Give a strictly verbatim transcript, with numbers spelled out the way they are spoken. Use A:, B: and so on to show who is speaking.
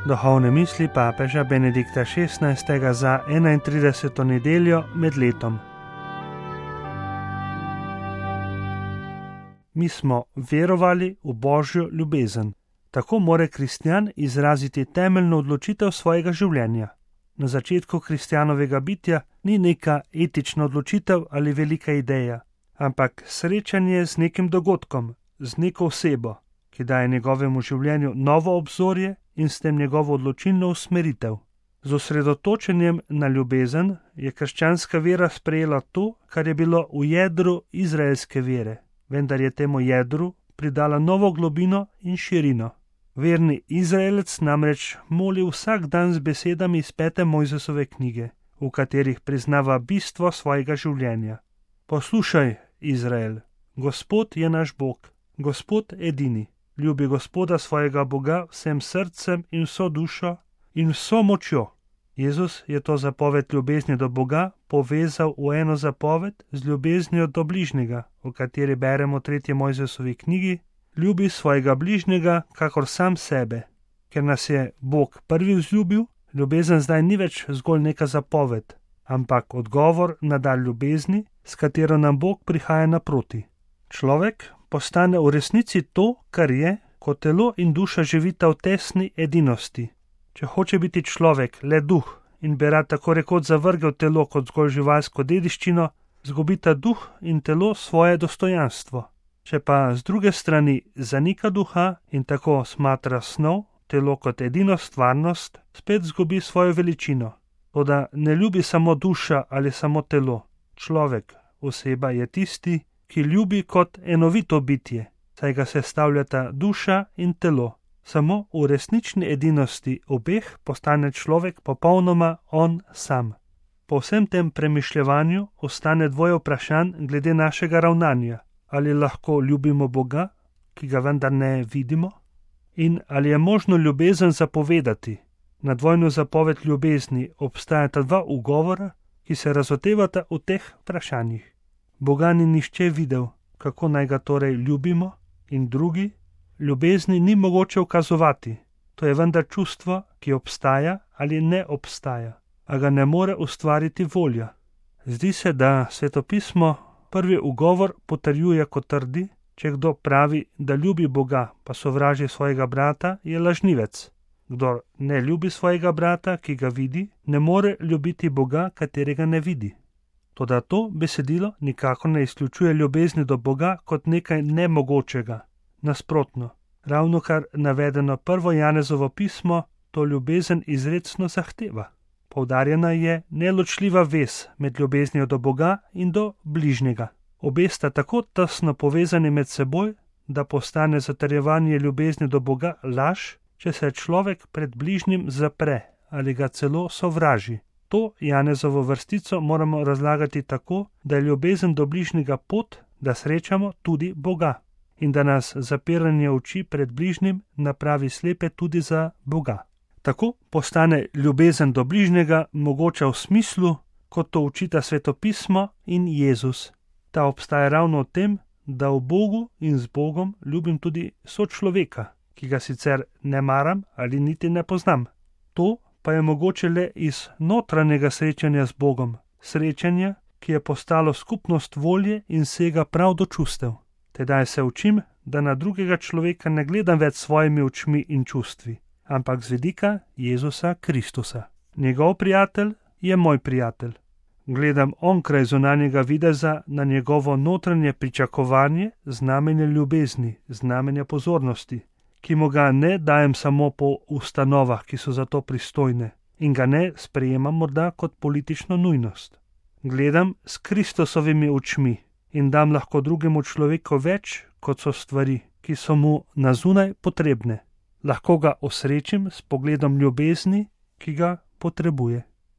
A: Duhovne misli papeža Benedikta šestnajstega za enaintrideseto nedeljo med letom. Mi smo verovali v Božjo ljubezen. Tako more kristjan izraziti temeljno odločitev svojega življenja. Na začetku kristjanovega bitja ni neka etična odločitev ali velika ideja, ampak srečanje z nekim dogodkom, z neko osebo, ki daje njegovemu življenju novo obzorje in s tem njegovo odločilno usmeritev. Z osredotočenjem na ljubezen je krščanska vera sprejela to, kar je bilo v jedru izraelske vere, vendar je temu jedru pridala novo globino in širino. Verni Izraelec namreč moli vsak dan z besedami iz pete Mojzesove knjige, v katerih priznava bistvo svojega življenja. Poslušaj, Izrael, Gospod je naš Bog, Gospod edini. Ljubi Gospoda svojega Boga vsem srcem in vso dušo in vso močjo. Jezus je to zapoved ljubezni do Boga povezal v eno zapoved z ljubeznijo do bližnjega, v kateri beremo v tretji Mojzesovi knjigi: Ljubi svojega bližnjega, kakor sam sebe. Ker nas je Bog prvi vzljubil, ljubezen zdaj ni več zgolj neka zapoved, ampak odgovor na dar ljubezni, s katero nam Bog prihaja naproti. Človek postane v resnici to, kar je, ko telo in duša živita v tesni edinosti. Če hoče biti človek le duh in bi rad tako rekoč zavrgel telo kot zgolj živalsko dediščino, zgubita duh in telo svoje dostojanstvo. Če pa z druge strani zanika duha in tako smatra snov, telo kot edino stvarnost, spet zgubi svojo veličino. Toda ne ljubi samo duša ali samo telo. Človek, oseba je tisti, ki ljubi kot enovito bitje, saj ga sestavljata duša in telo. Samo v resnični edinosti obeh postane človek popolnoma on sam. Po vsem tem premišljevanju ostane dvoje vprašanj glede našega ravnanja. Ali lahko ljubimo Boga, ki ga vendar ne vidimo? In ali je možno ljubezen zapovedati? Na dvojno zapoved ljubezni obstajata dva ugovora, ki se razotevata v teh vprašanjih. Boga ni nihče videl, kako naj ga torej ljubimo, in drugi, ljubezni ni mogoče ukazovati. To je vendar čustvo, ki obstaja ali ne obstaja, a ga ne more ustvariti volja. Zdi se, da Svetopismo prvi ugovor potrjuje, kot trdi: če kdo pravi, da ljubi Boga, pa sovraži svojega brata, je lažnivec. Kdor ne ljubi svojega brata, ki ga vidi, ne more ljubiti Boga, katerega ne vidi. Toda to besedilo nikakor ne izključuje ljubezni do Boga kot nekaj nemogočega. Nasprotno, ravno kar navedeno prvo Janezovo pismo to ljubezen izrecno zahteva. Poudarjena je neločljiva vez med ljubeznijo do Boga in do bližnjega. Obe sta tako tesno povezani med seboj, da postane zatrjevanje ljubezni do Boga laž, če se človek pred bližnjim zapre ali ga celo sovraži. To Janezovo vrstico moramo razlagati tako, da je ljubezen do bližnjega pot, da srečamo tudi Boga in da nas zapiranje oči pred bližnjim napravi slepe tudi za Boga. Tako postane ljubezen do bližnjega mogoča v smislu, kot to učita Svetopismo in Jezus. Ta obstaja ravno v tem, da v Bogu in z Bogom ljubim tudi sočloveka, ki ga sicer ne maram ali niti ne poznam. To pa je mogoče le iz notranjega srečanja z Bogom, srečanja, ki je postalo skupnost volje in sega prav do čustev. Tedaj se učim, da na drugega človeka ne gledam več svojimi očmi in čustvi, ampak z vidika Jezusa Kristusa. Njegov prijatelj je moj prijatelj. Gledam onkraj zunanjega videza na njegovo notranje pričakovanje, znamenje ljubezni, znamenje pozornosti, ki mu ga ne dajem samo po ustanovah, ki so za to pristojne, in ga ne sprejemam morda kot politično nujnost. Gledam s Kristusovimi očmi in dam lahko drugemu človeku več, kot so stvari, ki so mu na zunaj potrebne. Lahko ga osrečim s pogledom ljubezni, ki ga potrebuje.